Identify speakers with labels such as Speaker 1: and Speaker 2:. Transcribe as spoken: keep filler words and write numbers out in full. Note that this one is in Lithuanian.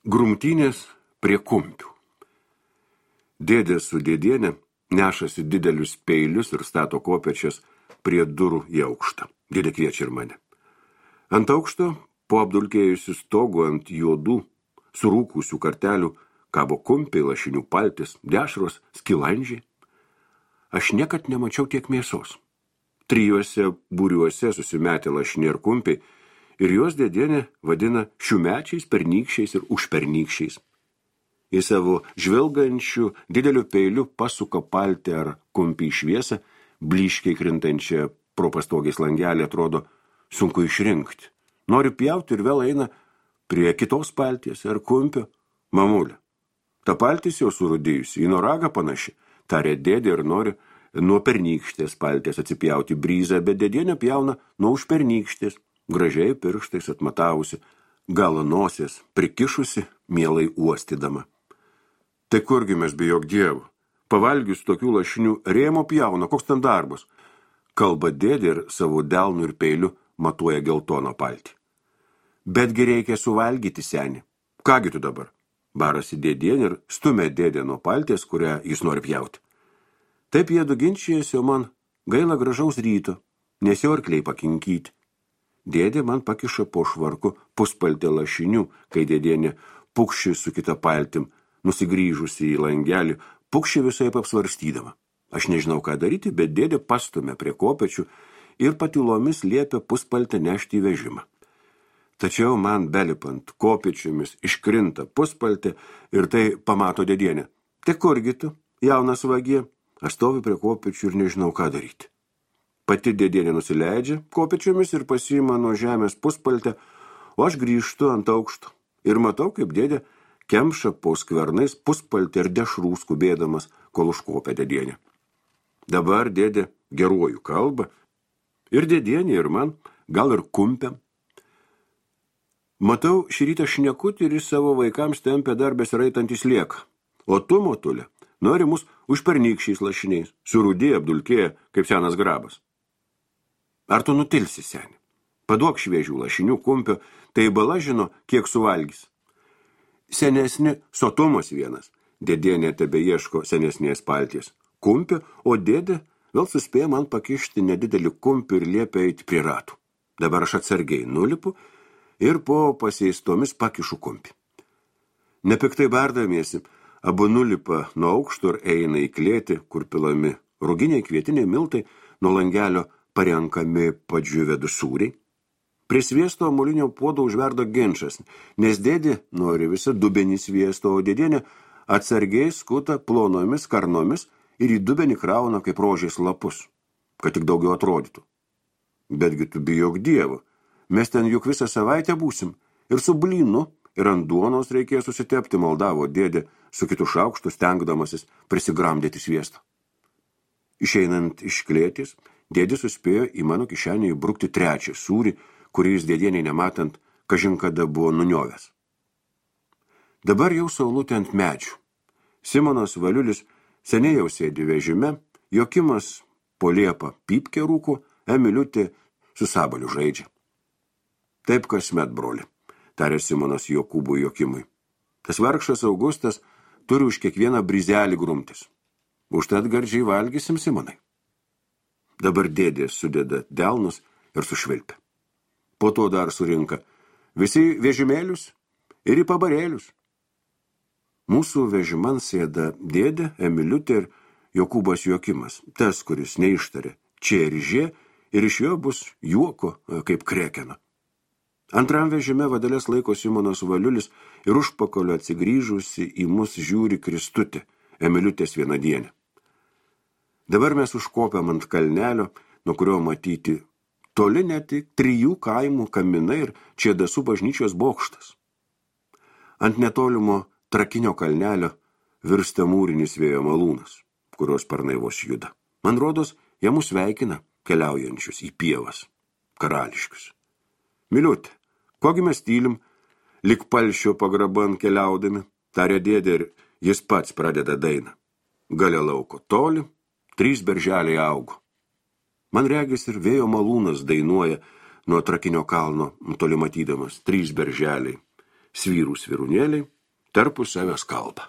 Speaker 1: Grumtynės prie kumpių. Dėdė su dėdienė nešasi didelius peilius ir stato kopėčias prie durų į aukštą. Dėdė kviečia ir mane. Ant aukšto, po apdulkėjusių stogų ant juodų, surūkusių kartelių, kabo kumpiai, lašinių paltis, dešros, skilandžiai. Aš niekad nemačiau tiek mėsos. Trijuose būriuose susimetė lašiniai ir kumpiai, ir juos dėdienė vadina šiųmečiais, pernykščiais ir užpernykščiais. Į savo žvilgančių dideliu peiliu pasuka paltį ar kumpį į šviesą, blyškiai krintančią pro pastogės langelį atrodo sunku išrinkti. Noriu pjauti ir vėl eina prie kitos palties ar kumpio. Mamulė, ta paltis jau surudėjusi, į noragą panaši, tarė dėdė ir nori nuo pernykštės palties atsipjauti bryzą, bet dėdienė pjauna nuo užpernykštės, gražiai pirštais atmatavusi, galą nosies prikišusi, mielai uostydama. Tai kurgi mes bijok Dievo? Pavalgius tokių lašinių rėmo pjauna, koks ten darbas? Kalba dėdė ir savo delnu ir peiliu matuoja geltono paltį. Betgi reikia suvalgyti, seni. Kągi tu dabar? Barasi dėdienė ir stumia dėdė nuo palties, kurią jis nori pjauti. Taip jie du ginčijasi, o man gaila gražaus ryto, nes jau arkliai pakinkyti. Dėdė man pakiša po švarku puspaltę lašinių, kai dėdienė pukši su kita paltim, nusigrįžusi į langelį, pukši visai apsvarstydama. Aš nežinau, ką daryti, bet dėdė pastumė prie kopečių ir patylomis liepia puspaltę nešti į vežimą. Tačiau man belipant kopečiomis iškrinta puspaltė ir tai pamato dėdienė. Tai kurgi tu, jaunas vagie? Aš stoviu prie kopečių ir nežinau, ką daryti. Pati dėdienė nusileidžia kopečiomis ir pasiima nuo žemės puspaltę, o aš grįžtu ant aukšto ir matau, kaip dėdė kemša po skvernais puspaltį ir dešrų skubėdamas, kol užkopia dėdienė. Dabar dėdė geruoju kalba ir dėdienė ir man, gal ir kumpiam. Matau, šį rytą šnekutį ir į savo vaikams tempia dar besiraitantys lieka. O tu, motulė, nori mus užpernykščiais lašiniais, surūdėję apdulkėję kaip senas grabas. Ar tu nutilsi, seni? Paduok šviežių lašinių kumpio, tai bala žino, kiek suvalgys. Senesni sotumas vienas. Dėdienė tebe ieško senesnės palties. Kumpio, o dėdė vėl suspėja man pakišti nedidelį kumpį ir liepia eiti prie ratų. Dabar aš atsargiai nulipu ir po paseistomis pakišu kumpį. Nepiktai bardamiesi, abu nulipa nuo aukšto ir eina į klėtį, kur pilami ruginiai kvietiniai miltai, nuo langelio parenkami padžiūvę du sūriai. Prie sviesto molinio puodo užverdo ginčas, nes dėdė nori visą dubenį sviesto, o dėdienė atsargiai skuta plonomis karnomis ir į dubenį krauna kaip rožės lapus, kad tik daugiau atrodytų. Betgi tu bijok Dievo, mes ten juk visą savaitę būsim ir su blynu ir ant duonos reikės susitepti, maldavo dėdė su kitu šaukštu, stengdamasis prisigramdyti sviesto. Išeinant iš klėties, dėdė suspėjo į mano kišenį įbrukti trečią sūrį, kuris dėdieniai nematant, kažin kada buvo nuniovęs. Dabar jau saulutė ant medžių. Simonas Valiulis seniai jau sėdi vežime, Jokimas po liepą pypkę rūko, Emiliutė su sabaliu žaidžia. Taip kasmet, broli, tarė Simonas Jokūbui Jokimui. Tas vargšas Augustas turi už kiekvieną brizelį grumtis. Užtat gardžiai valgysim, Simonai. Dabar dėdė sudeda delnus ir sušvilpia. Po to dar surinka visi vežimėlius ir į pabarėlius. Mūsų vežiman sėda dėdė, Emiliutė ir Jokūbas Jokimas, tas, kuris neištarė čia ir žė, ir iš jo bus juoko kaip krekena. Antram vežime vadelės laiko Simonas Valiulis ir užpakalio atsigrįžusi į mus žiūri Kristutė, Emiliutės vienadienė. Dabar mes užkopiam ant kalnelio, nuo kurio matyti toli net tik trijų kaimų kaminai ir Čėdasų bažnyčios bokštas. Ant netolimo Trakinio kalnelio virsta mūrinis vėjo malūnas, kurios sparnai vos juda. Man rodos, jie mus sveikina keliaujančius į pievas, karališkius. Miliutė, kogi mes tylim, lik palšio pagraban keliaudami, tarė dėdė ir jis pats pradeda dainą. Gale lauko toli, trys berželiai augo. Man regis ir vėjo malūnas dainuoja nuo Trakinio kalno, toli matydamas trys berželiai, svyrų svirunėliai tarpusavės kalbą.